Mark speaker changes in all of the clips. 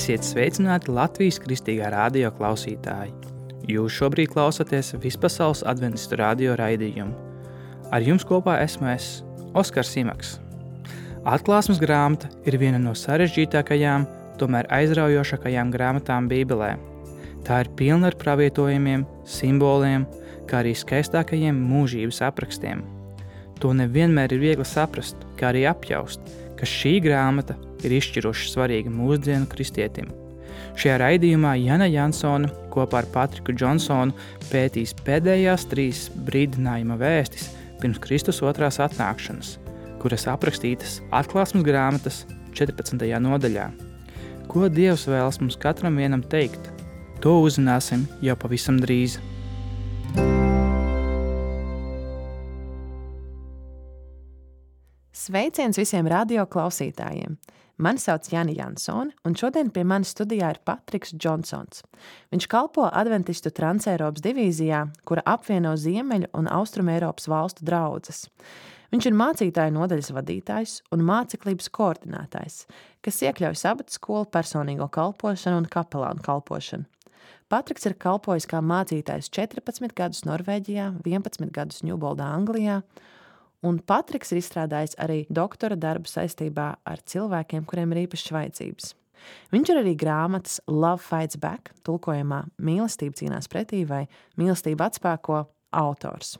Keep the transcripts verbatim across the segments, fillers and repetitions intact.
Speaker 1: Esiet sveicināti Latvijas Kristīgā radio klausītāji. Jūs šobrīd klausaties Vispasaules adventistu radio raidījumu. Ar jums kopā esmu es, Oskars Simaks. Atklāsmes grāmata ir viena no sarežģītākajām, tomēr aizraujošākajām grāmatām Bībelē. Tā ir pilna ar pravietojumiem, simboliem, kā arī skaistākajiem mūžības aprakstiem. To nevienmēr ir viegli saprast, kā arī apjaust, ka šī grāmata ir izšķiroši svarīga mūsdienu kristietim. Šajā raidījumā Jana Jansone kopā ar Patriku Džonsonu pētīs pēdējās trīs brīdinājuma vēstis pirms Kristus otrās atnākšanas, kuras aprakstītas Atklāsmes grāmatas četrpadsmitajā nodaļā. Ko Dievs vēlas mums katram vienam teikt? To uzzināsim jau pavisam drīz.
Speaker 2: Sveiciens visiem radio klausītājiem! Mani sauc Jana Jansone, un šodien pie manis studijā ir Patriks Džonsons. Viņš kalpo adventistu Transeiropas divīzijā, kura apvieno Ziemeļu un Austrumu Eiropas valstu draudzes. Viņš ir mācītāju nodaļas vadītājs un māceklības koordinētājs, kas iekļauj sabata skolu, personīgo kalpošanu un kapelānu kalpošanu. Patriks ir kalpojis kā mācītājs četrpadsmit gadus Norvēģijā, vienpadsmit gadus Ņūboldā, Anglijā, un Patriks ir izstrādājis arī doktora darbu saistībā ar cilvēkiem, kuriem ir īpašas vajadzības. Viņš ir arī grāmatas Love Fights Back, tulkojumā Mīlestība cīnās pretī vai Mīlestība atspēko autors.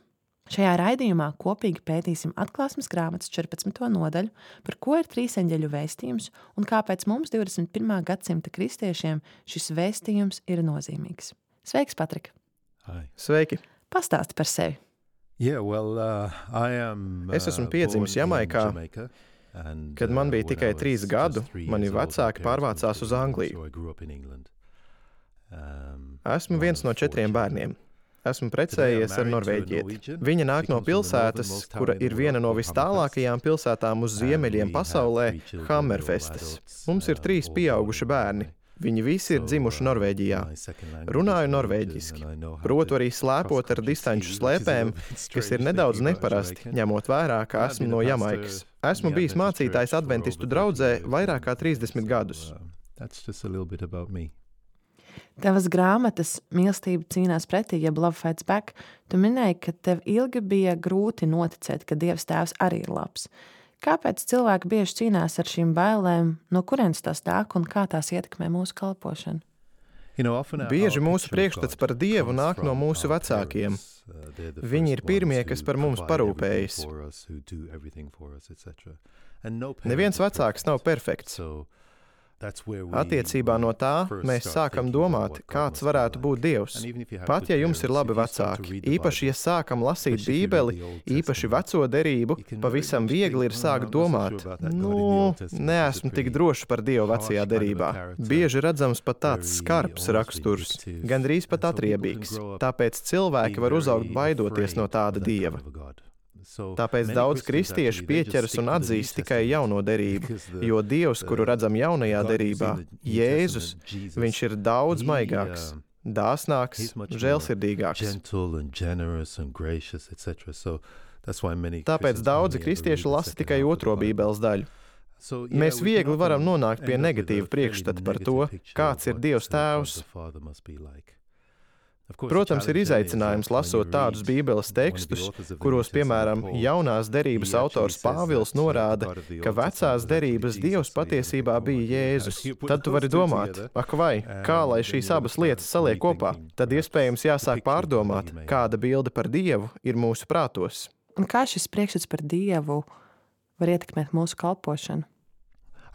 Speaker 2: Šajā raidījumā kopīgi pētīsim Atklāsmes grāmatas četrpadsmito nodaļu, par ko ir trīs eņģeļu vēstījums un kāpēc mums divdesmit pirmā gadsimta kristiešiem šis vēstījums ir nozīmīgs. Sveiks, Patrik!
Speaker 3: Hi.
Speaker 4: Sveiki!
Speaker 2: Pastāsti par sevi!
Speaker 3: Yeah, well, uh, I am, uh,
Speaker 4: Es esmu piedzimis Jamaikā,
Speaker 3: and,
Speaker 4: kad man bija
Speaker 3: uh,
Speaker 4: tikai
Speaker 3: when I was
Speaker 4: trīs
Speaker 3: just
Speaker 4: gadu,
Speaker 3: three
Speaker 4: mani
Speaker 3: years old,
Speaker 4: vecāki
Speaker 3: my parents
Speaker 4: pārvācās
Speaker 3: moved
Speaker 4: uz
Speaker 3: to England,
Speaker 4: Angliju.
Speaker 3: so I grew up in England. Um,
Speaker 4: Esmu
Speaker 3: one
Speaker 4: viens
Speaker 3: of
Speaker 4: no
Speaker 3: four
Speaker 4: četriem
Speaker 3: children.
Speaker 4: bērniem. Esmu
Speaker 3: Today
Speaker 4: precējies
Speaker 3: I'm
Speaker 4: ar
Speaker 3: married to a
Speaker 4: norvēģieti.
Speaker 3: Norwegian.
Speaker 4: Viņa nāk
Speaker 3: She
Speaker 4: no
Speaker 3: comes from the
Speaker 4: pilsētas,
Speaker 3: northernmost town
Speaker 4: kura
Speaker 3: in the
Speaker 4: ir viena
Speaker 3: world
Speaker 4: no
Speaker 3: called
Speaker 4: vistālākajām pilsētām uz
Speaker 3: And
Speaker 4: ziemeļiem
Speaker 3: we have
Speaker 4: pasaulē
Speaker 3: three children,
Speaker 4: Hammerfestes.
Speaker 3: all adults,
Speaker 4: Mums ir
Speaker 3: uh,
Speaker 4: trīs
Speaker 3: all
Speaker 4: pieauguši
Speaker 3: born in
Speaker 4: bērni.
Speaker 3: Norway.
Speaker 4: Viņi visi ir
Speaker 3: So,
Speaker 4: dzimuši
Speaker 3: uh,
Speaker 4: Norvēģijā.
Speaker 3: my second language
Speaker 4: Runāju
Speaker 3: is
Speaker 4: norvēģiski.
Speaker 3: Norwegian, and I know how
Speaker 4: Protu
Speaker 3: to
Speaker 4: arī slēpot ar
Speaker 3: cross-country
Speaker 4: distanču
Speaker 3: ski, which is a
Speaker 4: slēpēm,
Speaker 3: little bit
Speaker 4: kas
Speaker 3: strange
Speaker 4: ir nedaudz
Speaker 3: thinking about
Speaker 4: neparasti,
Speaker 3: Jamaican.
Speaker 4: ņemot vērā, ka
Speaker 3: I've
Speaker 4: esmu
Speaker 3: been a
Speaker 4: no
Speaker 3: pastor
Speaker 4: Jamaikas. Esmu
Speaker 3: in the
Speaker 4: bijis
Speaker 3: Adventist
Speaker 4: mācītājs
Speaker 3: church for
Speaker 4: adventistu
Speaker 3: over
Speaker 4: draudzē
Speaker 3: thirty years.
Speaker 4: vairāk kā trīsdesmit
Speaker 3: So,
Speaker 4: gadus.
Speaker 3: uh, That's just a little bit about me.
Speaker 2: Tavas grāmatas Mīlestība cīnās pretī, jeb Love Fights Back, tu minēji, ka tev ilgi bija grūti noticēt, ka Dievs tēvs arī ir labs. Kāpēc cilvēki bieži cīnās ar šīm bailēm, no kurienes tās nāk un kā tās ietekmē mūsu kalpošanu?
Speaker 3: You know, often our-
Speaker 4: Bieži
Speaker 3: our
Speaker 4: mūsu
Speaker 3: picture of
Speaker 4: priekšstats
Speaker 3: God
Speaker 4: par Dievu
Speaker 3: comes
Speaker 4: nāk no
Speaker 3: from
Speaker 4: mūsu
Speaker 3: our
Speaker 4: vecākiem.
Speaker 3: parents. Uh, they're the
Speaker 4: Viņi ir
Speaker 3: first
Speaker 4: pirmie,
Speaker 3: ones
Speaker 4: kas
Speaker 3: who
Speaker 4: par mums
Speaker 3: provide everything
Speaker 4: parūpējas.
Speaker 3: for us, who do everything for us, et cetera. And no parent
Speaker 4: Neviens
Speaker 3: is
Speaker 4: vecāks nav
Speaker 3: perfect.
Speaker 4: perfekts.
Speaker 3: So that's where we-
Speaker 4: Attiecībā no tā
Speaker 3: first
Speaker 4: mēs
Speaker 3: start
Speaker 4: sākam
Speaker 3: thinking about
Speaker 4: domāt,
Speaker 3: what God
Speaker 4: kāds
Speaker 3: must be
Speaker 4: varētu
Speaker 3: like.
Speaker 4: būt Dievs.
Speaker 3: And even if you have
Speaker 4: Pat
Speaker 3: good
Speaker 4: ja jums ir
Speaker 3: parents,
Speaker 4: labi
Speaker 3: if you start to
Speaker 4: vecāki,
Speaker 3: read the
Speaker 4: īpaši, ja
Speaker 3: Bible,
Speaker 4: sākam lasīt
Speaker 3: especially if you read
Speaker 4: Bībeli,
Speaker 3: the Old
Speaker 4: īpaši
Speaker 3: Testament,
Speaker 4: veco derību,
Speaker 3: you can
Speaker 4: pavisam
Speaker 3: very much
Speaker 4: viegli ir
Speaker 3: think,
Speaker 4: sākt
Speaker 3: "Oh, I'm not so
Speaker 4: domāt,
Speaker 3: sure about that God in the
Speaker 4: nu,
Speaker 3: Old Testament.
Speaker 4: neesmu
Speaker 3: He's a
Speaker 4: tik
Speaker 3: pretty
Speaker 4: drošs par Dievu
Speaker 3: harsh
Speaker 4: vecajā
Speaker 3: kind of a
Speaker 4: derībā.
Speaker 3: character.
Speaker 4: Bieži redzams pat tāds
Speaker 3: Very
Speaker 4: skarbs
Speaker 3: almost
Speaker 4: raksturs,
Speaker 3: vindictive.
Speaker 4: gandrīz pat
Speaker 3: And so people can
Speaker 4: atriebīgs.
Speaker 3: grow up
Speaker 4: Tāpēc cilvēki var
Speaker 3: Be
Speaker 4: uzaugt
Speaker 3: very
Speaker 4: baidoties no
Speaker 3: afraid
Speaker 4: tāda
Speaker 3: of that
Speaker 4: Dieva.
Speaker 3: kind of a God. So
Speaker 4: Tāpēc
Speaker 3: many
Speaker 4: daudz
Speaker 3: Christians
Speaker 4: kristiešu
Speaker 3: actually, they just
Speaker 4: pieķeras
Speaker 3: stick
Speaker 4: un
Speaker 3: to the New
Speaker 4: atzīst tikai
Speaker 3: Testament
Speaker 4: jauno derību,
Speaker 3: because the-
Speaker 4: jo Dievs, kuru
Speaker 3: the
Speaker 4: redzam jaunajā
Speaker 3: God who's in
Speaker 4: derībā,
Speaker 3: the New
Speaker 4: Jēzus,
Speaker 3: Testament, Jesus,
Speaker 4: viņš ir daudz
Speaker 3: he,
Speaker 4: maigāks,
Speaker 3: um,
Speaker 4: dāsnāks,
Speaker 3: he's much more
Speaker 4: žēlsirdīgāks.
Speaker 3: gentle and generous and gracious, et cetera. So that's why many
Speaker 4: Tāpēc
Speaker 3: Christians
Speaker 4: daudzi
Speaker 3: only ever
Speaker 4: kristieši
Speaker 3: read the
Speaker 4: lasa
Speaker 3: second
Speaker 4: tikai
Speaker 3: half of the
Speaker 4: otro
Speaker 3: Bible.
Speaker 4: Bībeles daļu.
Speaker 3: So, yeah,
Speaker 4: Mēs
Speaker 3: we can
Speaker 4: viegli varam
Speaker 3: often
Speaker 4: nonākt pie
Speaker 3: end up with
Speaker 4: negatīva
Speaker 3: a fairly
Speaker 4: priekšstata par
Speaker 3: negative
Speaker 4: to,
Speaker 3: picture
Speaker 4: kāds
Speaker 3: of
Speaker 4: ir
Speaker 3: what,
Speaker 4: Dievs
Speaker 3: uh, God
Speaker 4: tēvs.
Speaker 3: the Father must be like. Of course, the
Speaker 4: Protams, ir
Speaker 3: challenge then is
Speaker 4: izaicinājums
Speaker 3: that when
Speaker 4: lasot
Speaker 3: you
Speaker 4: tādus
Speaker 3: read
Speaker 4: Bībeles
Speaker 3: one of the
Speaker 4: tekstus,
Speaker 3: authors of the
Speaker 4: kuros,
Speaker 3: New Testament,
Speaker 4: piemēram,
Speaker 3: Paul,
Speaker 4: jaunās derības
Speaker 3: he actually
Speaker 4: autors
Speaker 3: says
Speaker 4: Pāvils
Speaker 3: that, uh,
Speaker 4: norāda,
Speaker 3: the God of the
Speaker 4: ka
Speaker 3: Old
Speaker 4: vecās
Speaker 3: Testament was actually
Speaker 4: derības
Speaker 3: Jesus,
Speaker 4: Dievs
Speaker 3: so you
Speaker 4: patiesībā
Speaker 3: think,
Speaker 4: bija
Speaker 3: "Oh, yeah,
Speaker 4: Jēzus.
Speaker 3: how do you put
Speaker 4: Tad tu
Speaker 3: those
Speaker 4: vari
Speaker 3: two
Speaker 4: domāt,
Speaker 3: together?"
Speaker 4: ak vai, kā lai
Speaker 3: And
Speaker 4: šīs
Speaker 3: then you
Speaker 4: abas
Speaker 3: start
Speaker 4: lietas saliek kopā?
Speaker 3: rethinking
Speaker 4: Tad
Speaker 3: perhaps
Speaker 4: iespējams
Speaker 3: the
Speaker 4: jāsāk
Speaker 3: picture of God that
Speaker 4: pārdomāt,
Speaker 3: you may have.
Speaker 4: kāda bilde par Dievu ir mūsu prātos.
Speaker 2: Un kā šis priekšstats par Dievu var ietekmēt mūsu kalpošanu?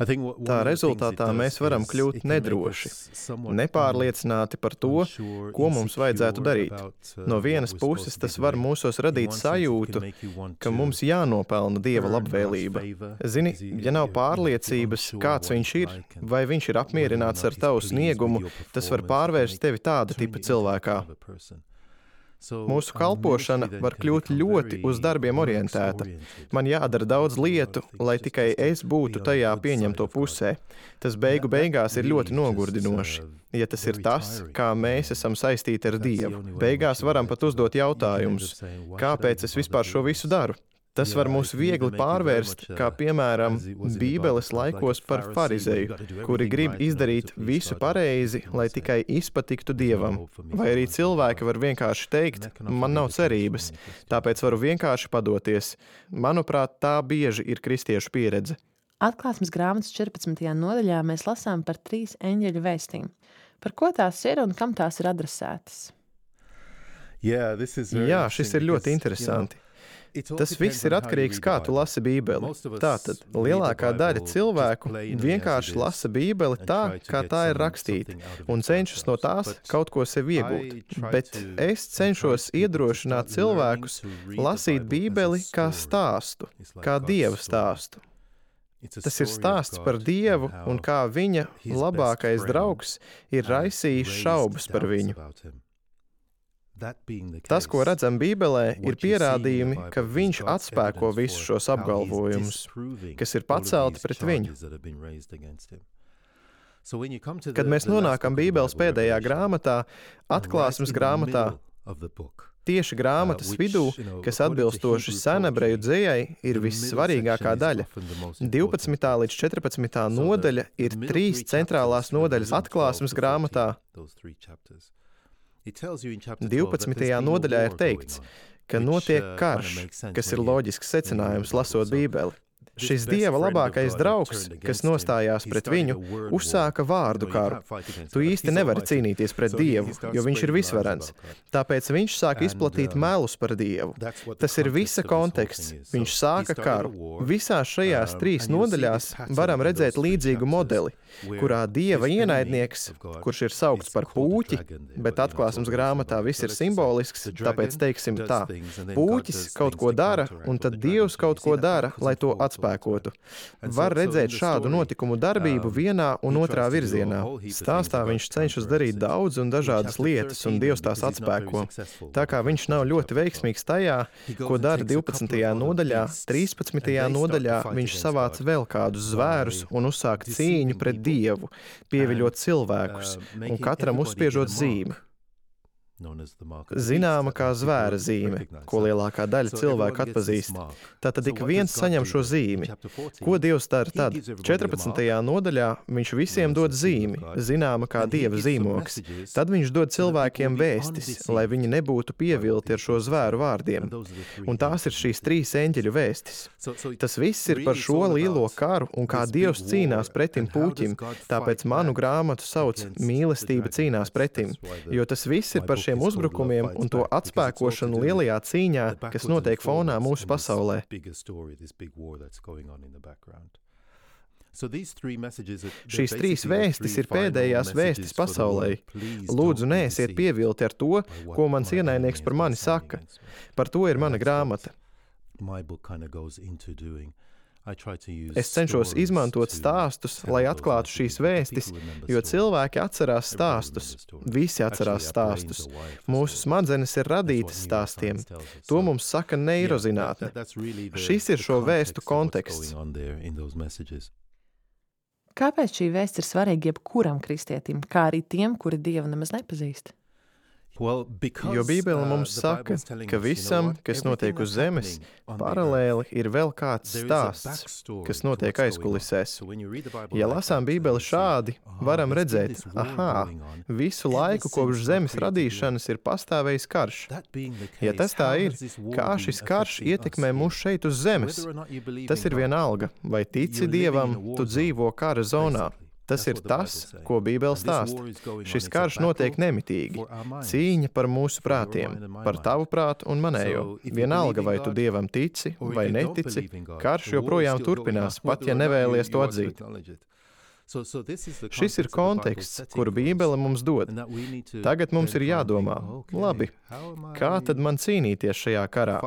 Speaker 3: I think what- one
Speaker 4: Tā
Speaker 3: of the things it
Speaker 4: rezultātā
Speaker 3: does
Speaker 4: mēs varam
Speaker 3: is
Speaker 4: kļūt
Speaker 3: it can make
Speaker 4: nedroši,
Speaker 3: us somewhat
Speaker 4: nepārliecināti par to,
Speaker 3: unsure,
Speaker 4: ko mums vajadzētu
Speaker 3: insecure
Speaker 4: darīt.
Speaker 3: about, uh,
Speaker 4: No
Speaker 3: what
Speaker 4: vienas
Speaker 3: we're supposed
Speaker 4: puses
Speaker 3: to be
Speaker 4: tas var
Speaker 3: doing.
Speaker 4: mūsos
Speaker 3: In
Speaker 4: radīt
Speaker 3: one sense, it
Speaker 4: sajūtu,
Speaker 3: can make you want
Speaker 4: ka
Speaker 3: to
Speaker 4: mums jānopelna Dieva
Speaker 3: earn God's
Speaker 4: labvēlība.
Speaker 3: favor,
Speaker 4: Zini,
Speaker 3: because you-
Speaker 4: ja nav
Speaker 3: you're- you're
Speaker 4: pārliecības,
Speaker 3: unsure
Speaker 4: kāds
Speaker 3: what
Speaker 4: viņš
Speaker 3: he's
Speaker 4: ir,
Speaker 3: like and
Speaker 4: vai viņš ir
Speaker 3: whether or
Speaker 4: apmierināts
Speaker 3: not
Speaker 4: ar
Speaker 3: he's
Speaker 4: tavu
Speaker 3: pleased with
Speaker 4: sniegumu,
Speaker 3: your
Speaker 4: tas var
Speaker 3: performance, it can
Speaker 4: pārvērst
Speaker 3: make-
Speaker 4: tevi tāda
Speaker 3: turn
Speaker 4: tipa
Speaker 3: you into that
Speaker 4: cilvēkā.
Speaker 3: kind of a person. So,
Speaker 4: Mūsu
Speaker 3: our
Speaker 4: kalpošana
Speaker 3: ministry then
Speaker 4: var
Speaker 3: can
Speaker 4: kļūt
Speaker 3: become
Speaker 4: ļoti
Speaker 3: very
Speaker 4: uz darbiem orientēta.
Speaker 3: works-oriented.
Speaker 4: Man jādara daudz lietu, lai tikai es būtu tajā pieņemto pusē. Tas beigu beigās ir ļoti nogurdinoši, ja tas ir tas, kā mēs esam saistīti ar Dievu. Beigās varam pat uzdot jautājumus, kāpēc es vispār šo visu daru? Tas var mūs viegli pārvērst, kā piemēram Bībeles laikos par farizeju, kuri grib izdarīt visu pareizi, lai tikai izpatiktu Dievam. Vai arī cilvēki var vienkārši teikt, man nav cerības, tāpēc varu vienkārši padoties. Manuprāt, tā bieži ir kristiešu pieredze.
Speaker 2: Atklāsmes grāmatas četrpadsmitajā nodaļā mēs lasām par trīs eņģeļu vēstīm. Par ko tās ir un kam tās ir adresētas?
Speaker 3: Jā,
Speaker 4: šis ir ļoti interesanti. Tas viss ir atkarīgs, kā tu lasi Bībeli. Tātad, lielākā daļa cilvēku vienkārši lasa Bībeli tā, kā tā ir rakstīta, un cenšas no tās kaut ko sev iegūt. Bet es cenšos iedrošināt cilvēkus lasīt Bībeli kā stāstu, kā Dieva stāstu. Tas ir stāsts par Dievu un kā viņa labākais draugs ir raisījis šaubas par viņu. Tas, ko redzam Bībelē, ir pierādījumi, ka viņš atspēko visus šos apgalvojumus, kas ir pacelti pret viņu. Kad mēs nonākam Bībeles pēdējā grāmatā, Atklāsmes grāmatā, tieši grāmatas vidū, kas atbilstoši senebreju dzejai, ir vissvarīgākā daļa. divpadsmitā līdz četrpadsmitā nodaļa ir trīs centrālās nodaļas Atklāsmes grāmatā. divpadsmitajā nodaļā ir teikts, ka notiek karš, kas ir loģisks secinājums lasot Bībeli. Šis Dieva labākais draugs, kas nostājās pret viņu, uzsāka vārdu karu. Tu īsti nevari cīnīties pret Dievu, jo viņš ir visvarens. Tāpēc viņš sāk izplatīt melus par Dievu. Tas ir visa konteksts. Viņš sāka karu. Visās šajās trīs nodaļās varam redzēt līdzīgu modeli, kurā Dieva ienaidnieks, kurš ir saukts par pūķi, bet Atklāsmes grāmatā viss ir simbolisks, tāpēc teiksim tā. Pūķis kaut ko dara, un tad Dievs kaut ko dara, lai to atspēkotu. Var redzēt šādu notikumu darbību vienā un otrā virzienā. Stāstā viņš cenšas darīt daudz un dažādas lietas, un Dievs tās atspēko. Tā kā viņš nav ļoti veiksmīgs tajā, ko dara divpadsmitajā nodaļā, trīspadsmitajā nodaļā viņš savāc vēl kādus zvērus un uzsāk cīņu pret Dievu, pieviļot cilvēkus, un katram uzspiežot zīmi. Zināma kā zvēra zīme, ko lielākā daļa cilvēku atpazīst. Tātad ik viens saņem šo zīmi. Ko Dievs dara tad? četrpadsmitajā nodaļā viņš visiem dod zīmi, zināma kā Dieva zīmoks. Tad viņš dod cilvēkiem vēstis, lai viņi nebūtu pievilti ar šo zvēru vārdiem. Un tās ir šīs trīs eņģeļu vēstis. Tas viss ir par šo lielo karu un kā Dievs cīnās pretim pūķim, tāpēc manu grāmatu sauc Mīlestība cīnās pretim, jo tas viss ir par šiem uzbrukumiem un to atspēkošanu lielajā cīņā, kas notiek fonā mūsu pasaulē. Šīs trīs vēstis ir pēdējās vēstis pasaulē. Lūdzu, neesiet pievilti ar to, ko mans ienaidnieks par mani saka. Par to ir mana grāmata. Es cenšos izmantot stāstus, lai atklātu šīs vēstis, jo cilvēki atcerās stāstus. Visi atcerās stāstus. Mūsu smadzenes ir radītas stāstiem. To mums saka neirozinātne. Šis ir šo vēstu konteksts.
Speaker 2: Kāpēc šī vēsts ir svarīga jebkuram kristietim, kā arī tiem, kuri Dievu nemaz nepazīst?
Speaker 4: Jo Bībele mums saka, ka visam, kas notiek uz zemes, paralēli ir vēl kāds stāsts, kas notiek aizkulisēs. Ja lasām Bībeli šādi, varam redzēt, ahā, visu laiku kopš zemes radīšanas ir pastāvējis karš. Ja tas tā ir, kā šis karš ietekmē mūs šeit uz zemes, tas ir vienalga, vai tici Dievam, tu dzīvo kara zonā. Tas ir tas, ko Bībele stāsta. Šis karš notiek nemitīgi. Cīņa par mūsu prātiem, par tavu prātu un manējo. Vienalga, vai tu Dievam tici vai netici, karš joprojām turpinās, pat ja nevēlies to atzīt. Šis ir konteksts, kuru Bībele mums dod. Tagad mums ir jādomā, labi, kā tad man cīnīties šajā karā?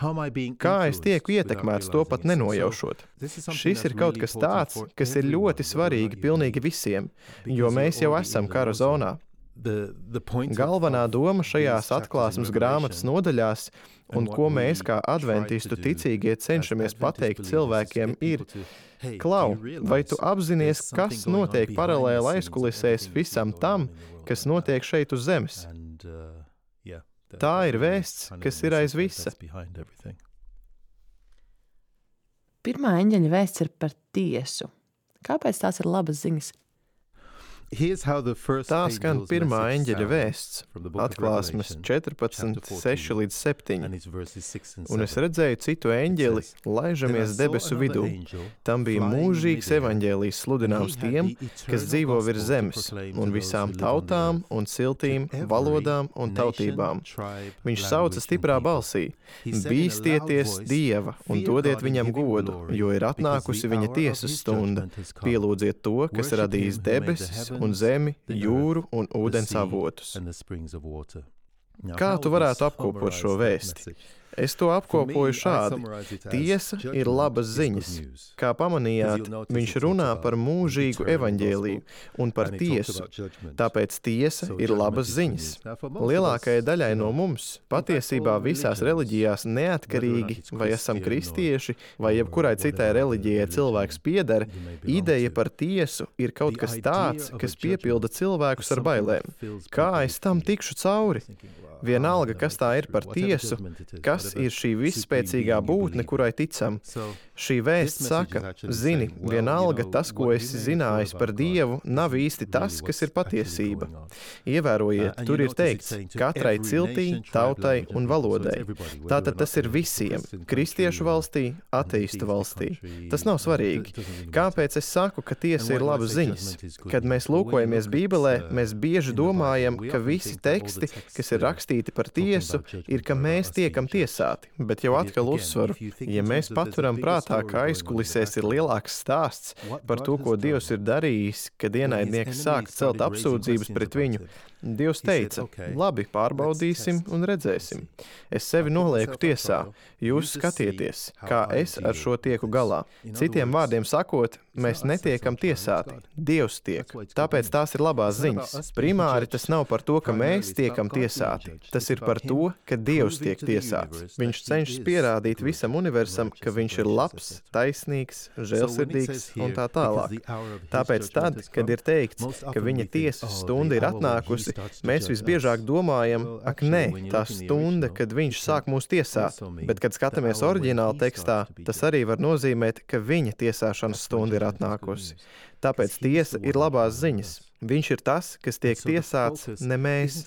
Speaker 4: Kā es tieku ietekmēts to pat nenojaušot? Šis ir kaut kas tāds, kas ir ļoti svarīgi pilnīgi visiem, jo mēs jau esam kara zonā. Galvenā doma šajās atklāsmes grāmatas nodaļās, un ko mēs kā adventistu ticīgie cenšamies pateikt cilvēkiem, ir: Klau, vai tu apzinies, kas notiek paralēli aizkulisēs visam tam, kas notiek šeit uz zemes? Tā ir vēsts, kas ir aiz visa.
Speaker 2: Pirmā eņģeļa vēsts ir par tiesu. Kāpēc tās ir labas ziņas?
Speaker 4: Tā skan pirmā eņģeļa vēsts, Atklāsmes četrpadsmit, seši līdz septiņi. Un es redzēju citu eņģeli, laižamies debesu vidū. Tam bija mūžīgs evaņģēlijs sludināms tiem, kas dzīvo virs zemes, un visām tautām un ciltīm, valodām un tautībām. Viņš sauca stiprā balsī: Bīstieties Dieva un dodiet viņam godu, jo ir atnākusi viņa tiesas stunda. Pielūdziet to, kas radījis debesis un zemi, jūru un ūdens avotus. Kā tu varētu apkopot šo vēsti? Es to apkopoju šādi. Tiesa ir labas ziņas. Kā pamanījāt, viņš runā par mūžīgu evaņģēliju un par tiesu. Tāpēc tiesa ir labas ziņas. Lielākajai daļai no mums, patiesībā visās reliģijās neatkarīgi, vai esam kristieši, vai jebkurai citai reliģijai cilvēks pieder, ideja par tiesu ir kaut kas tāds, kas piepilda cilvēkus ar bailēm. Kā es tam tikšu cauri? Vienalga, kas tā ir par tiesu, kas ir šī visspēcīgā būtne, kurai ticam. Šī vēsts saka: zini, vienalga tas, ko esi zinājis par Dievu, nav īsti tas, kas ir patiesība. Ievērojiet, tur ir teikts katrai ciltī, tautai un valodai. Tātad tas ir visiem - kristiešu valstī, ateistu valstī. Tas nav svarīgi. Kāpēc es saku, ka tiesa ir labas ziņas? Kad mēs lūkojamies Bībelē, mēs bieži domājam, ka visi teksti, kas ir rakstīti par tiesu, ir, ka mēs tiekam tiesāti. Bet jau atkal uzsvaru, ja mēs paturam prātā, ka aizkulisēs ir lielāks stāsts par to, ko Dievs ir darījis, kad ienaidnieks sāk celt apsūdzības pret viņu, Dievs teica: labi, pārbaudīsim un redzēsim. Es sevi nolieku tiesā, jūs skatieties, kā es ar šo tieku galā. Citiem vārdiem sakot, mēs netiekam tiesāti, Dievs tiek. Tāpēc tās ir labās ziņas. Primāri tas nav par to, ka mēs tiekam tiesāti. Tas ir par to, ka Dievs tiek tiesāts. Viņš cenšas pierādīt visam universam, ka viņš ir labs, taisnīgs, žēlsirdīgs un tā tālāk. Tāpēc tad, kad ir teikts, ka viņa tiesas stunda ir atnākusi, mēs visbiežāk domājam: ak, nē, tā stunda, kad viņš sāk mūs tiesāt. Bet, kad skatāmies oriģināla tekstā, tas arī var nozīmēt, ka viņa tiesāšanas stunda ir atnākusi. Tāpēc tiesa ir labās ziņas. Viņš ir tas, kas tiek tiesāts, ne mēs.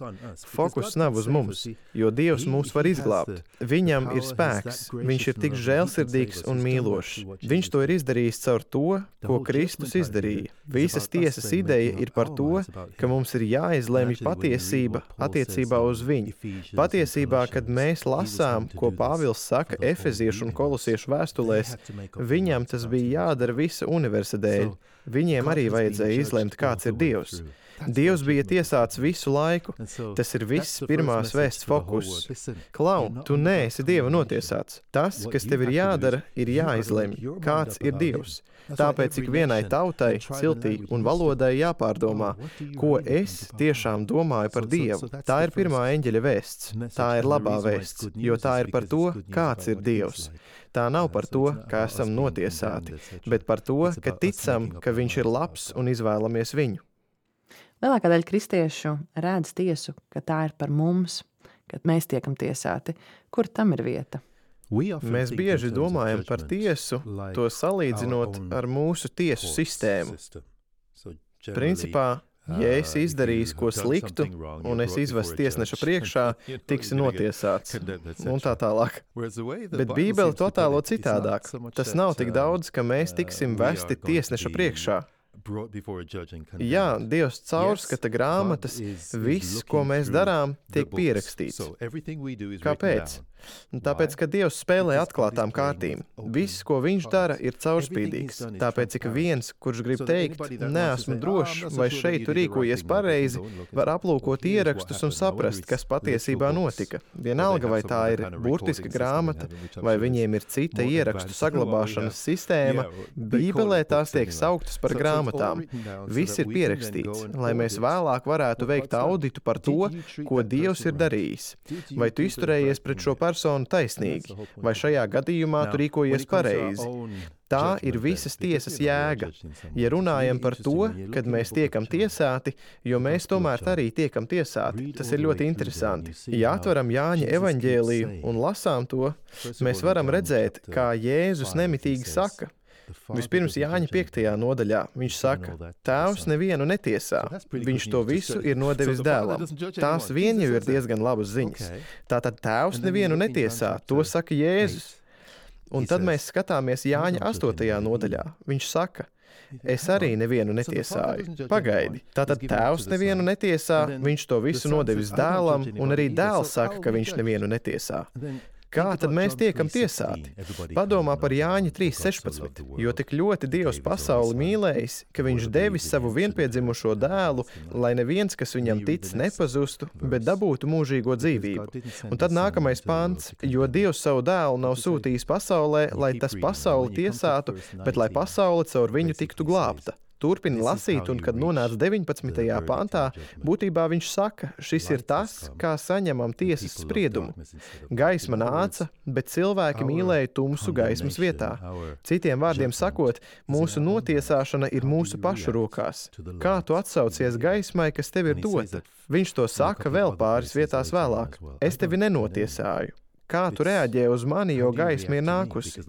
Speaker 4: Fokus nav uz mums, jo Dievs mūs var izglābt. Viņam ir spēks, viņš ir tik žēlsirdīgs un mīlošs. Viņš to ir izdarījis caur to, ko Kristus izdarīja. Visas tiesas ideja ir par to, ka mums ir jāizlemj patiesība attiecībā uz viņu. Patiesībā, kad mēs lasām, ko Pāvils saka Efeziešu un Kolosiešu vēstulēs, viņam tas bija jādara visa universa dēļ. Viņiem arī vajadzēja izlemt, kāds ir Dievs. Dievs bija tiesāts visu laiku. Tas ir viss pirmās vēsts fokus. Klau, tu neesi Dieva notiesāts. Tas, kas tev ir jādara, ir jāizlemj, kāds ir Dievs. Tāpēc ik vienai tautai, ciltī un valodai jāpārdomā, ko es tiešām domāju par Dievu. Tā ir pirmā eņģeļa vēsts. Tā ir labā vēsts, jo tā ir par to, kāds ir Dievs. Tā nav par to, kā esam notiesāti, bet par to, ka ticam, ka viņš ir labs un izvēlamies viņu.
Speaker 2: Lielākā daļa kristiešu redz tiesu, ka tā ir par mums, kad mēs tiekam tiesāti. Kur tam ir vieta?
Speaker 4: Mēs bieži domājam par tiesu, to salīdzinot ar mūsu tiesu sistēmu. Principā, ja esi izdarījis ko sliktu, un es izvestu tiesneša priekšā, tiksi notiesāts, un tā tālāk. Bet Bībele to attēlo citādāk. Tas nav tik daudz, ka mēs tiksim vesti tiesneša priekšā. Jā, Dievs caurskata grāmatas, viss, ko mēs darām, tiek pierakstīts. Kāpēc? Tāpēc, ka Dievs spēlē atklātām kārtīm. Viss, ko viņš dara, ir caurspīdīgs. Tāpēc ik viens, kurš grib teikt, neesmu drošs, vai šeit tu rīkojies pareizi, var aplūkot ierakstus un saprast, kas patiesībā notika. Vienalga, vai tā ir burtiska grāmata, vai viņiem ir cita ierakstu saglabāšanas sistēma, Bībelē tās tiek sauktas par grāmatām. grāmatām. Viss ir pierakstīts, lai mēs vēlāk varētu veikt auditu par to, ko Dievs ir darījis. Vai tu izturējies pret šo personu taisnīgi, vai šajā gadījumā tu rīkojies pareizi? Tā ir visas tiesas jēga. Ja runājam par to, kad mēs tiekam tiesāti, jo mēs tomēr arī tiekam tiesāti, tas ir ļoti interesanti. Ja atveram Jāņa evaņģēliju un lasām to, mēs varam redzēt, kā Jēzus nemitīgi saka. Vispirms Jāņa piektajā nodaļā viņš saka, Tēvs nevienu netiesā, viņš to visu ir nodevis dēlam. Tās vien jau ir diezgan labas ziņas. Tātad Tēvs nevienu netiesā, to saka Jēzus. Un tad mēs skatāmies Jāņa astotajā nodaļā. Viņš saka, es arī nevienu netiesāju. Pagaidi. Tātad Tēvs nevienu netiesā, viņš to visu nodevis dēlam, un arī dēls saka, ka viņš nevienu netiesā. Kā tad mēs tiekam tiesāti? Padomā par Jāņa trīs sešpadsmit, jo tik ļoti Dievs pasauli mīlējis, ka viņš devis savu vienpiedzimušo dēlu, lai neviens, kas viņam tic, nepazustu, bet dabūtu mūžīgo dzīvību. Un tad nākamais pants, jo Dievs savu dēlu nav sūtījis pasaulē, lai tas pasauli tiesātu, bet lai pasaule caur viņu tiktu glābta. Turpina lasīt, un kad nonāca deviņpadsmitajā pantā, būtībā viņš saka, šis ir tas, kā saņemam tiesas spriedumu. Gaisma nāca, bet cilvēki mīlēja tumsu gaismas vietā. Citiem vārdiem sakot, mūsu notiesāšana ir mūsu pašu rokās. Kā tu atsaucies gaismai, kas tev ir dota? Viņš to saka vēl pāris vietās vēlāk. Es tevi nenotiesāju. Kā tu reaģē uz mani, jo gaisma ir nākusi?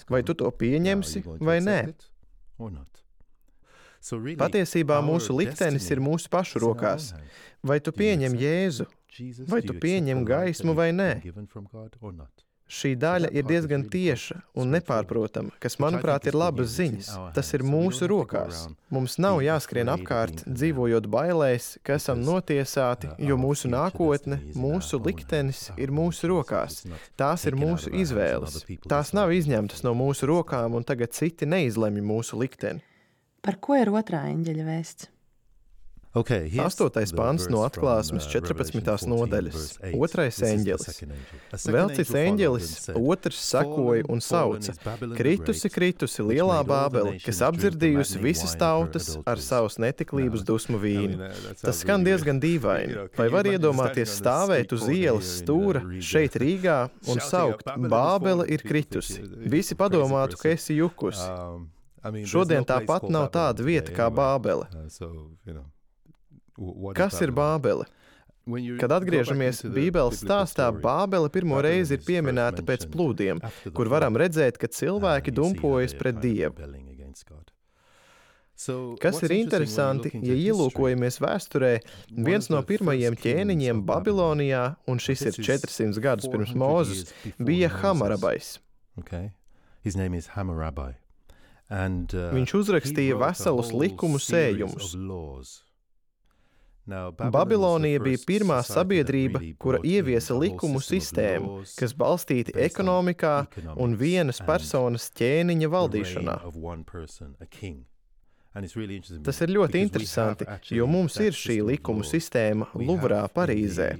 Speaker 4: Vai tu to pieņemsi vai nē? Patiesībā mūsu liktenis ir mūsu pašu rokās. Vai tu pieņem Jēzu? Vai tu pieņem gaismu vai nē? Šī daļa ir diezgan tieša un nepārprotama, kas, manuprāt, ir labas ziņas. Tas ir mūsu rokās. Mums nav jāskrien apkārt, dzīvojot bailēs, ka esam notiesāti, jo mūsu nākotne, mūsu liktenis ir mūsu rokās. Tās ir mūsu izvēles. Tās nav izņemtas no mūsu rokām, un tagad citi neizlemj mūsu likteni.
Speaker 2: Par ko ir otrā eņģeļa vēsts?
Speaker 3: Okay,
Speaker 4: Astotais pants no atklāsmes četrpadsmitās nodaļas. Otrais eņģelis. Vēl cits eņģelis, otrs sakoja un sauca. Kritusi, kritusi lielā Bābele, kas apdzirdījusi visas tautas ar savas netiklības dusmu vīnu. Tas skan diezgan dīvaini. Vai var iedomāties stāvēt uz ielas stūra šeit Rīgā un saukt, Bābele ir kritusi? Visi padomātu, ka esi jukus. Šodien tāpat nav tāda vieta kā Bābele. Kas ir Bābele? Kad atgriežamies Bībeles stāstā, Bābele pirmo reizi ir pieminēta pēc plūdiem, kur varam redzēt, ka cilvēki dumpojas pret Dievu. Kas ir interesanti, ja ielūkojamies vēsturē, viens no pirmajiem ķēniņiem Babilonijā, un šis ir četrsimt gadus pirms Mūzes, bija Hamarabais.
Speaker 3: And, uh,
Speaker 4: Viņš uzrakstīja veselus likumu sējumus. Babilonija bija pirmā sabiedrība, kura ieviesa likumu sistēmu, kas balstīti ekonomikā un vienas personas ķēniņa valdīšanā. Tas ir ļoti interesanti, jo mums ir šī likumu sistēma Luvrā, Parīzē.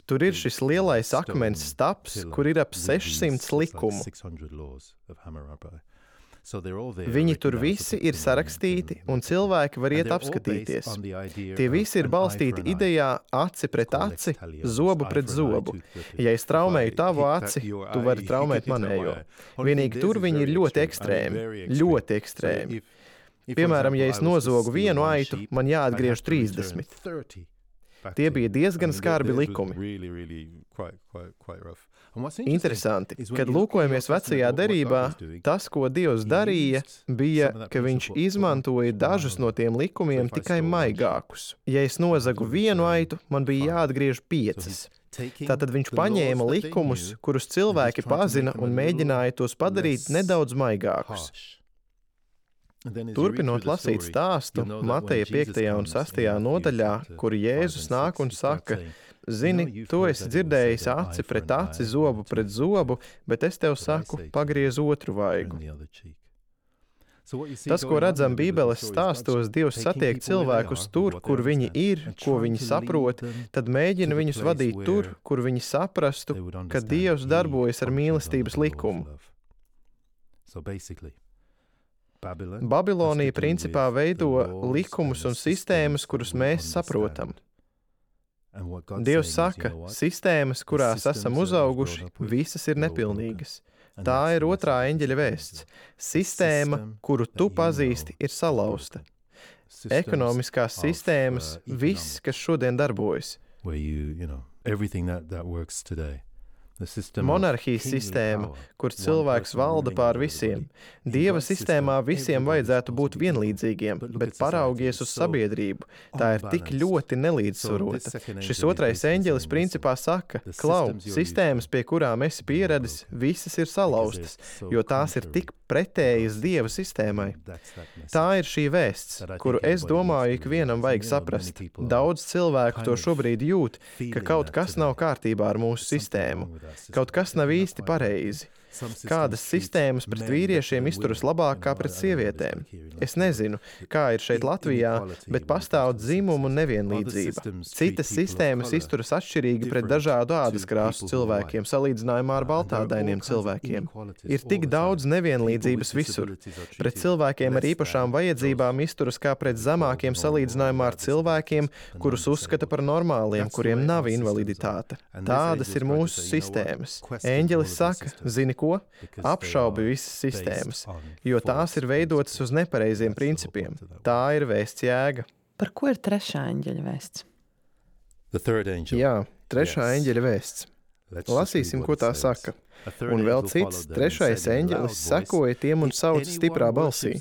Speaker 4: Tur ir šis lielais akmens staps, kur ir ap sešsimt likumu. Viņi tur visi ir sarakstīti, un cilvēki var iet apskatīties. Tie visi ir balstīti idejā aci pret aci, zobu pret zobu. Ja es traumēju tavu aci, tu vari traumēt manējo. Vienīgi tur viņi ir ļoti ekstrēmi, ļoti ekstrēmi. Piemēram, ja es nozogu vienu aitu, man jāatgriež trīsdesmit. Tie bija diezgan skarbi likumi. Interesanti, kad lūkojamies vecajā derībā, tas, ko Dievs darīja, bija, ka viņš izmantoja dažus no tiem likumiem tikai maigākus. Ja es nozagu vienu aitu, man bija jāatgriež piecas. Tātad viņš paņēma likumus, kurus cilvēki pazina un mēģināja tos padarīt nedaudz maigākus. Turpinot lasīt stāstu, Mateja piektajā un sastajā nodaļā, kur Jēzus nāk un saka, zini, tu esi dzirdējis aci pret aci, zobu pret zobu, bet es tev saku, pagriez otru vaigu. Tas, ko redzam Bībeles stāstos, Dievs satiek cilvēkus tur, kur viņi ir, ko viņi saprot, tad mēģina viņus vadīt tur, kur viņi saprastu, ka Dievs darbojas ar mīlestības likumu. Babilonija principā veido likumus un sistēmas, kurus mēs saprotam. Dievs saka, sistēmas, kurās esam uzauguši, visas ir nepilnīgas. Tā ir otrā eņģeļa vēsts. Sistēma, kuru tu pazīsti, ir salauzta. Ekonomiskās sistēmas, viss, kas šodien darbojas. Monarhijas sistēma, kur cilvēks valda pār visiem. Dieva sistēmā visiem vajadzētu būt vienlīdzīgiem, bet paraugies uz sabiedrību. Tā ir tik ļoti nelīdzsvarota. Šis otrais eņģelis principā saka, klau, sistēmas, pie kurām esi pieradis, visas ir salauztas, jo tās ir tik pretējas Dieva sistēmai. Tā ir šī vēsts, kuru es domāju, ikvienam vajag saprast. Daudz cilvēku to šobrīd jūt, ka kaut kas nav kārtībā ar mūsu sistēmu. Kaut kas nav īsti pareizi. Kādas sistēmas pret vīriešiem izturas labāk kā pret sievietēm? Es nezinu, kā ir šeit Latvijā, bet pastāv dzimumu nevienlīdzība. Citas sistēmas izturas atšķirīgi pret dažādu ādas krāsu cilvēkiem, salīdzinājumā ar baltādainiem cilvēkiem. Ir tik daudz nevienlīdzības visur. Pret cilvēkiem ar īpašām vajadzībām izturas kā pret zemākiem salīdzinājumā ar cilvēkiem, kurus uzskata par normāliem, kuriem nav invaliditāte. Tādas ir mūsu sistēmas. Eņģelis saka, zini ko? Apšaubi visas sistēmas, jo tās ir veidotas uz nepareiziem principiem. Tā ir vēsts jēga.
Speaker 2: Par ko ir trešā eņģeļa vēsts?
Speaker 4: Jā, trešā eņģeļa vēsts. Lasīsim, ko tā saka. Un vēl cits, trešais eņģelis sekoja tiem un sauc stiprā balsī.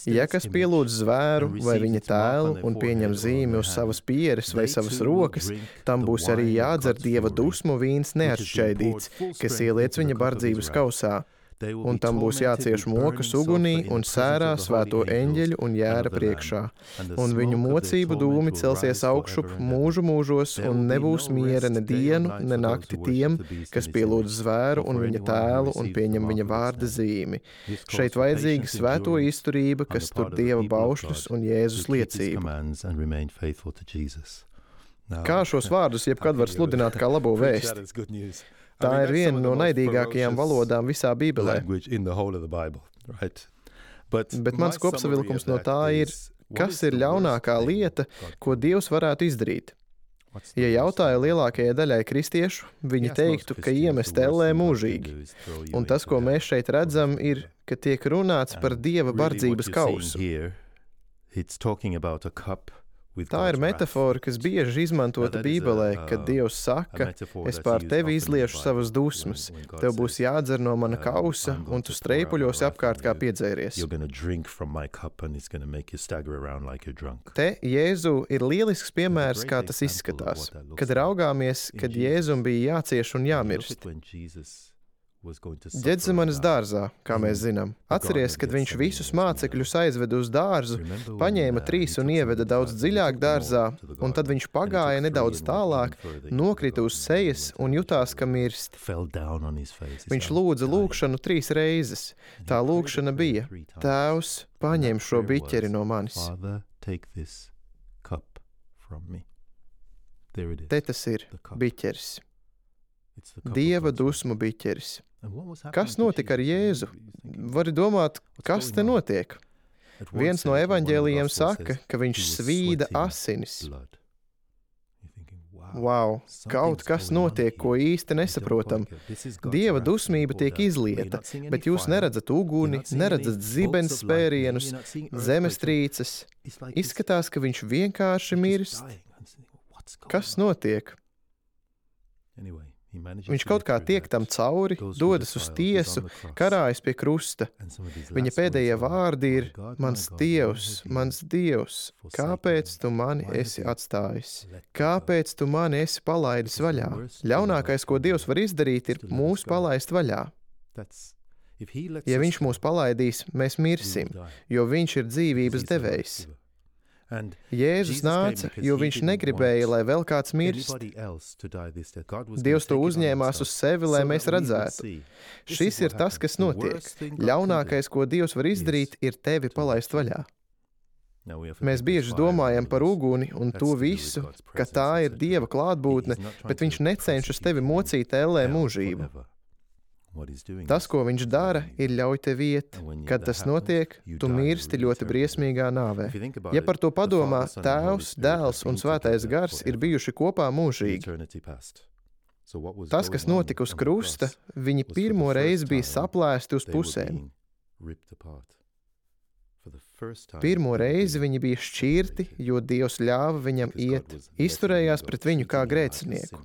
Speaker 4: Ja kas pielūdz zvēru vai viņa tēlu un pieņem zīmi uz savas pieres vai savas rokas, tam būs arī jādzer Dieva dusmu vīns neatšķaidīts, kas ieliec viņa bardzības kausā. Un tam būs jācieš mokas ugunī un sērā svēto eņģeļu un jēra priekšā. Un viņu mocību dūmi celsies augšup mūžu mūžos, un nebūs miera ne dienu, ne nakti tiem, kas pielūdz zvēru un viņa tēlu un pieņem viņa vārda zīmi. Šeit vajadzīga svēto izturība, kas tur Dieva baušļus un Jēzus liecību. Kā šos vārdus jebkad var sludināt kā labo vēsti? Tā ir viena no naidīgākajām valodām visā Bībelē. Bet mans kopsavilkums no tā ir, kas ir ļaunākā lieta, ko Dievs varētu izdarīt? Ja jautāja lielākajai daļai kristiešu, viņi teiktu, ka iemest ellē mūžīgi. Un tas, ko mēs šeit redzam, ir, ka tiek runāts par Dieva bardzības kausu. Tā ir metafora, kas bieži izmantota Bībelē, kad Dievs saka, es pār tevi izliešu savas dusmas, tev būs jādzer no mana kausa, un tu streipuļosi apkārt kā piedzēries. Te Jēzu ir lielisks piemērs, kā tas izskatās, kad raugāmies, kad Jēzum bija jācieš un jāmirst. Ģedzemanes dārzā, kā mēs zinām. Atceries, kad viņš visus mācekļus aizveda uz dārzu, paņēma trīs un ieveda daudz dziļāk dārzā, un tad viņš pagāja nedaudz tālāk, nokrita uz sejas un jutās, ka mirst. Viņš lūdza lūgšanu trīs reizes. Tā lūgšana bija: Tēvs, paņem šo biķeri no manis. Te tas ir, biķeris. Dieva dusmu biķeris. Kas notika ar Jēzu? Vari domāt, kas te notiek? Viens no evaņģēlijiem saka, ka viņš svīda asinis. Wow, kaut kas notiek, ko īsti nesaprotam. Dieva dusmība tiek izlieta, bet jūs neredzat uguni, neredzat zibens spērienus, zemestrīces. Izskatās, ka viņš vienkārši mirst. Kas notiek? Viņš kaut kā tiek tam cauri, dodas uz tiesu, karājas pie krusta. Viņa pēdējie vārdi ir: mans Dievs, mans Dievs, kāpēc tu mani esi atstājis? Kāpēc tu mani esi palaidis vaļā? Ļaunākais, ko Dievs var izdarīt, ir mūs palaist vaļā. Ja viņš mūs palaidīs, mēs mirsim, jo viņš ir dzīvības devējs. Jēzus nāca, jo viņš negribēja, lai vēl kāds mirst. Dievs to uzņēmās uz sevi, lai mēs redzētu. Šis ir tas, kas notiek. Ļaunākais, ko Dievs var izdarīt, ir tevi palaist vaļā. Mēs bieži domājam par uguni un to visu, ka tā ir Dieva klātbūtne, bet viņš necenšas tevi mocīt ellē mūžību. Tas, ko viņš dara, ir ļauj tev iet. Kad tas notiek, tu mirsti ļoti briesmīgā nāvē. Ja par to padomā, Tēvs, Dēls un Svētais Gars ir bijuši kopā mūžīgi. Tas, kas notika uz krusta, viņi pirmo reizi bija saplēsti uz pusēm. Pirmo reizi viņi bija šķirti, jo Dievs ļāva viņam iet, izturējās pret viņu kā grēcinieku.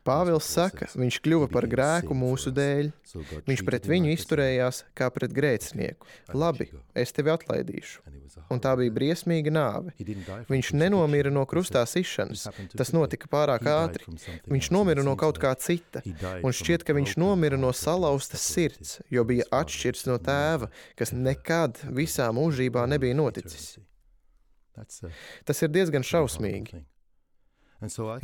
Speaker 4: Pāvils saka, viņš kļuva par grēku mūsu dēļ. Viņš pret viņu izturējās kā pret grēcinieku. Labi, es tevi atlaidīšu. Un tā bija briesmīga nāve. Viņš nenomira no krustā sišanas. Tas notika pārāk ātri. Viņš nomira no kaut kā cita. Un šķiet, ka viņš nomira no salauztas sirds, jo bija atšķirts no tēva, kas nekad visā mūžībā nebija noticis. Tas ir diezgan šausmīgi.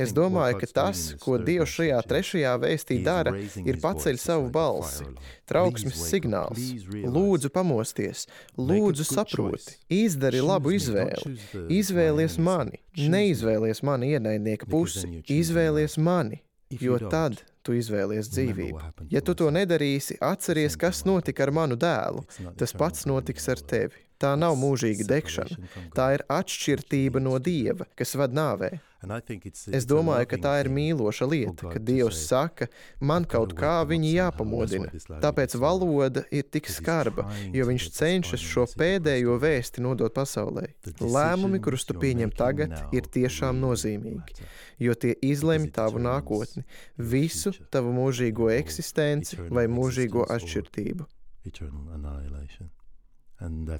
Speaker 4: Es domāju, ka tas, ko Dievs šajā trešajā vēstī dara, ir paceļ savu balsi, trauksmes signāls. Lūdzu pamosties, lūdzu saproti, izdari labu izvēli, izvēlies mani, neizvēlies mani ienaidnieka pusi, izvēlies mani, jo tad tu izvēlies dzīvību. Ja tu to nedarīsi, atceries, kas notika ar manu dēlu, tas pats notiks ar tevi. Tā nav mūžīga degšana, tā ir atšķirtība no Dieva, kas ved nāvē. Es domāju, ka tā ir mīloša lieta, ka Dievs saka, man kaut kā viņi jāpamodina. Tāpēc valoda ir tik skarba, jo viņš cenšas šo pēdējo vēsti nodot pasaulē. Lēmumi, kurus tu pieņem tagad, ir tiešām nozīmīgi, jo tie izlemj tavu nākotni, visu tavu mūžīgo eksistenci vai mūžīgo atšķirtību.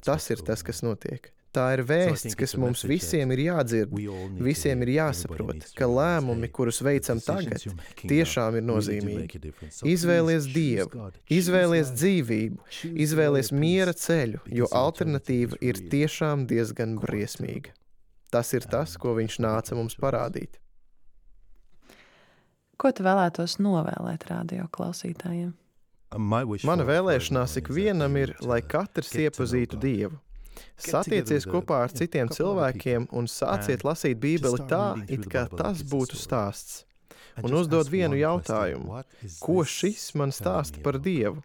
Speaker 4: Tas ir tas, kas notiek. Tā ir vēsts, kas mums visiem ir jādzird, visiem ir jāsaprot, ka lēmumi, kurus veicam tagad, tiešām ir nozīmīgi. Izvēlies Dievu, izvēlies dzīvību, izvēlies miera ceļu, jo alternatīva ir tiešām diezgan briesmīga. Tas ir tas, ko viņš nāca mums parādīt.
Speaker 2: Ko tu vēlētos novēlēt radio klausītājiem?
Speaker 4: Mana vēlēšanās ikvienam ir, lai katrs iepazītu Dievu. Satiecies kopā ar citiem cilvēkiem un sāciet lasīt Bībeli tā, it kā tas būtu stāsts. Un uzdod vienu jautājumu. Ko šis man stāsta par Dievu?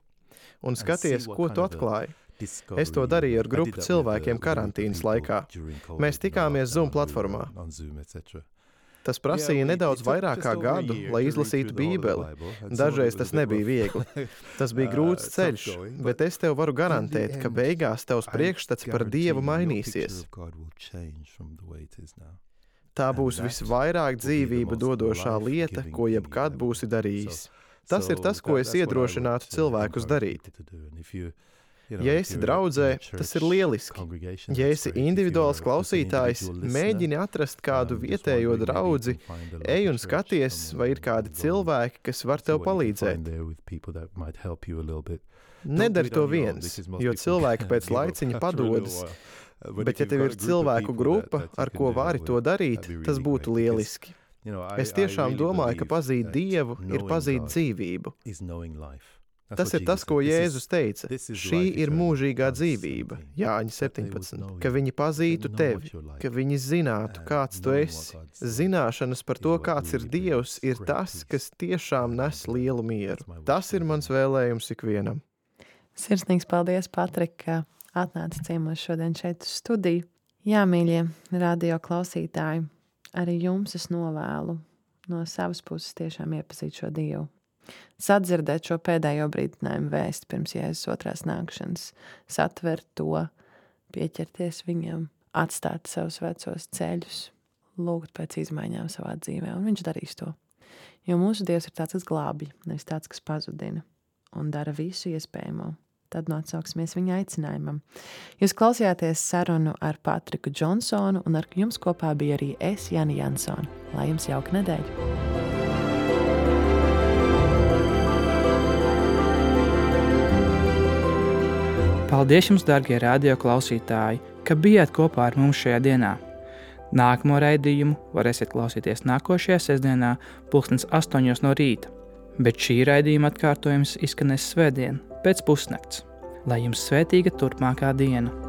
Speaker 4: Un skaties, ko tu atklāji. Es to darīju ar grupu cilvēkiem karantīnas laikā. Mēs tikāmies Zoom platformā. Tas prasīja nedaudz vairāk kā gadu, lai izlasītu Bībeli. Dažreiz tas nebija viegli. Tas bija grūts ceļš, bet es tev varu garantēt, ka beigās tavs priekšstats par Dievu mainīsies. Tā būs visvairāk dzīvību dodošā lieta, ko jebkad būsi darījis. Tas ir tas, ko es iedrošinātu cilvēkus darīt. Ja esi draudzē, tas ir lieliski. Ja esi individuāls klausītājs, mēģini atrast kādu vietējo draudzi, ej un skaties, vai ir kādi cilvēki, kas var tev palīdzēt. Nedari to viens, jo cilvēki pēc laiciņa padodas, bet ja tev ir cilvēku grupa, ar ko vari to darīt, tas būtu lieliski. Es tiešām domāju, ka pazīt Dievu ir pazīt dzīvību. Tas ir tas, ko Jēzus teica. Šī ir mūžīgā dzīvība, Jāņa septiņpadsmit, ka viņi pazītu tevi, ka viņi zinātu, kāds tu esi. Zināšanas par to, kāds ir Dievs, ir tas, kas tiešām nes lielu mieru. Tas ir mans vēlējums ikvienam.
Speaker 2: Sirsnīgs paldies, Patrik, ka atnāci ciemos šodien šeit uz studiju. Jā, mīļie radio klausītāji, arī jums es novēlu no savas puses tiešām iepazīt šo Dievu. Sadzirdēt šo pēdējo brīdinājumu vēsti pirms Jēzus otrās nākšanas, satvert to, pieķerties viņam, atstāt savus vecos ceļus, lūgt pēc izmaiņām savā dzīvē, un viņš darīs to. Jo mūsu Dievs ir tāds, kas glābj, nevis tāds, kas pazudina, un dara visu iespējamo. Tad nu atsauksimies viņa aicinājumam. Jūs klausījāties sarunu ar Patriku Džonsonu, un ar jums kopā bija arī es, Jani Jansone. Lai jums jauka nedēļa!
Speaker 1: Paldies jums, dārgie radio klausītāji, ka bijāt kopā ar mums šajā dienā. Nākamo raidījumu varēsiet klausīties nākošajā sestdienā pulkstens astoņos no rīta, bet šī raidījuma atkārtojums izskanēs svētdien pēc pusnakts. Lai jums svētīga turpmākā diena!